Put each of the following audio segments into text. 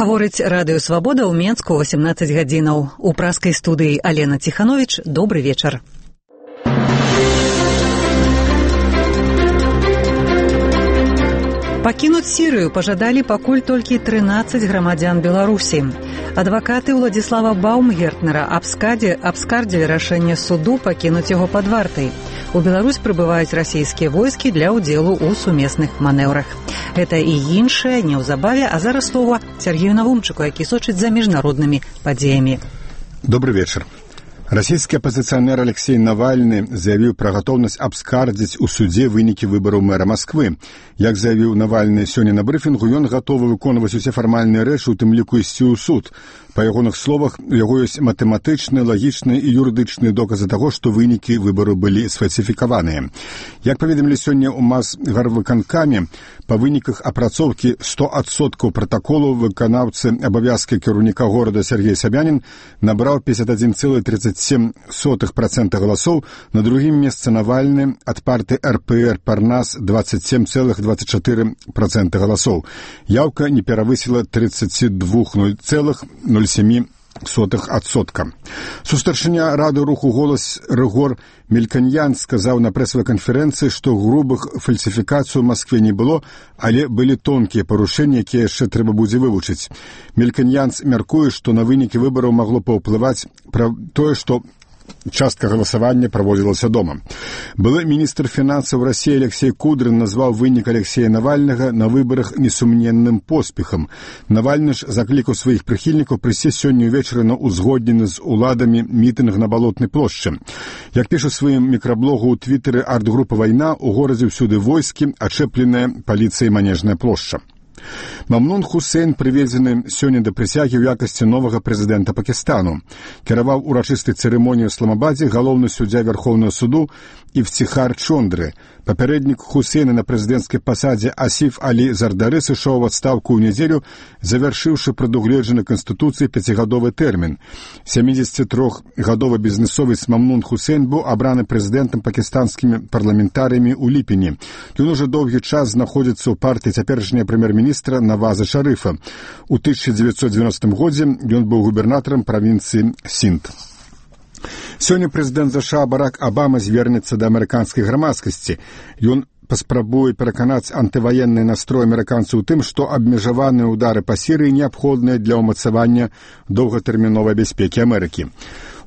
Гаворыць радыё «Свабода» ў Менску 18 гадзінаў. У праскай студыі Алена Ціхановіч. Добры вечар. Пакінуць Сірыю пажадалі пакуль толькі 13 грамадзян Беларусі. Адвакаты Уладзіслава Баумгертнера абскардзілі рашэнне суду пакінуць яго пад вартай. У Беларусь прыбываюць расійскія войскі для ўдзелу ў сумесных манеўрах. Гэта і іншае неўзабаве, а зараз слова Сергею Навумчыку, які сочыць за міжнароднымі падзеямі. Добрый вечар. Расійскі апазіцыянер Алексей Навальны заявіў пра гатоўнасць абскардзіць у судзе вынікі выбараў мэра Масквы. Як заявіў Навальны сёння на брыфінгу, ён гатовы выконваць усе фармальныя рэчы, у тым ліку ісці ў суд. Па ягоных словах, у яго ёсць матэматычныя, лагічныя і юрыдычныя доказы таго, што вынікі выбару былі сфальсіфікаваныя. Як паведамілі сёння ў Мазгарвыканкаме, па выніках апрацоўкі 100% пратаколу выканаўцы абавязкі кіраўніка горада Сергей Сабянін набраў 51,37% галасоў, на другім месцы Навальны ад партыі РПР Парнас 27,24% галасоў. Яўка не перавысіла 32,07%. Сустаршыня рады руху «Голас» Рыгор Мельканьян сказаў на прэсавай канферэнцыі, што грубых фальсіфікацый у Маскве не было, але былі тонкія парушэнні, якія яшчэ трэба будзе вывучыць. Мельканьянц мяркуе, што на вынікі выбараў магло паўплываць пра тое, што частка галасавання праводзілася дома. Былы міністр фінансаў Расіі Алексей Кудрин назваў вынік Алексея Навальнага на выбарах несумненным поспехам. Навальны ж заклікаў сваіх прыхільнікаў прыйсці сёння ўвечары на узгоднены з уладамі мітынг на Балотнай плошчы. Як піша ў сваім мікраблогу ў твітары арт-група «Вайна», у горадзе ўсюды войскі, ачэпленая паліцыяй Манежная плошча. Мамнун Хусейн прыведзены сёння да прысягі ў якасці новага прэзідэнта Пакістану. Кіраваў урачыстай цырымоніі ў Ісламабадзе галоўны суддзя Вярхоўнага суду Ифтихар Чондры. Папярэднік Хусейна на прэзідэнцкай пасадзе Асіф Алі Зардары сышоў у адстаўку ў нядзелю, завяршыўшы прадугледжаны Канстытуцыяй 5-гадовы тэрмін. 73-гадовы бізнесовец Мамнун Хусейн быў абраны прэзідэнтам пакістанскімі парламентарыямі ў ліпені. Ён ужо доўгі час знаходзіцца ў партыі цяперашняга прэм'ер-міністра Наваза Шарыфа. У 1990 годзе ён быў губернатарам правінцыі Сінд. Сёння прэзідэнт ЗША Барак Абама звернецца да амерыканскай грамадскасці. Ён паспрабуе пераканаць антываенны настрой амерыканцаў у тым, што абмежаваныя ўдары па Сірыі неабходныя для ўмацавання доўгатэрміновай бяспекі Амерыкі.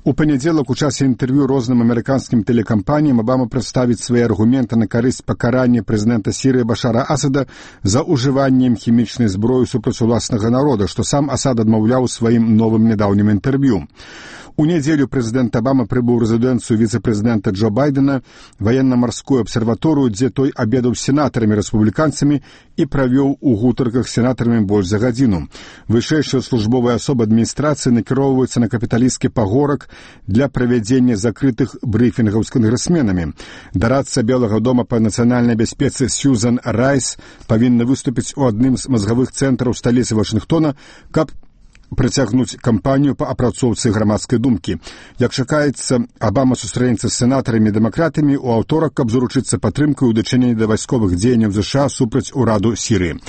У панядзелак у часе інтэрв'ю розным амерыканскім тэлекампаніям Абама прадставіць свае аргументы на карысць пакарання прэзідэнта Сірыі Башара Асада за ўжываннем хімічнай зброі супраць уласнага народа, што сам Асад адмаўляў у сваім новым нядаўнім інтэрв'ю. У нядзелю прэзідэнт Абама прыбыў у рэзідэнцыю віцэ-прэзідэнта Джо Байдена, ваенна-марскую абсерваторыю, дзе той абедаў з сенатарамі-рэспубліканцамі і правёў у гутарках з сенатарамі больш за гадзіну. Вышэйшыя службовыя асобы адміністрацыі накіроўваюцца на капіталісцкі пагорак для правядзення закрытых брыфінгаў з кангрэсменамі. Дарадца Белага дома па нацыянальнай бяспецы Сьюзан Райс павінна выступіць у адным з мазгавых цэнтраў сталіцы Вашынгтона, каб прыцягнуць кампанію па апрацоўцы грамадскай думкі. Як чакаецца, Абама сустрэнецца з сенатарамі-дэмакратамі ў аўторак, каб заручыцца падтрымкай у дачыненні да вайсковых дзеянняў ЗША супраць ураду Сірыі.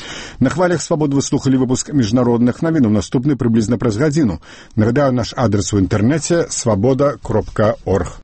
На хвалях «Свабоды» вы слухалі выпуск міжнародных навін, наступны прыблізна праз гадзіну. Нагадаю, наш адрес у інтэрнэце свабода.орг.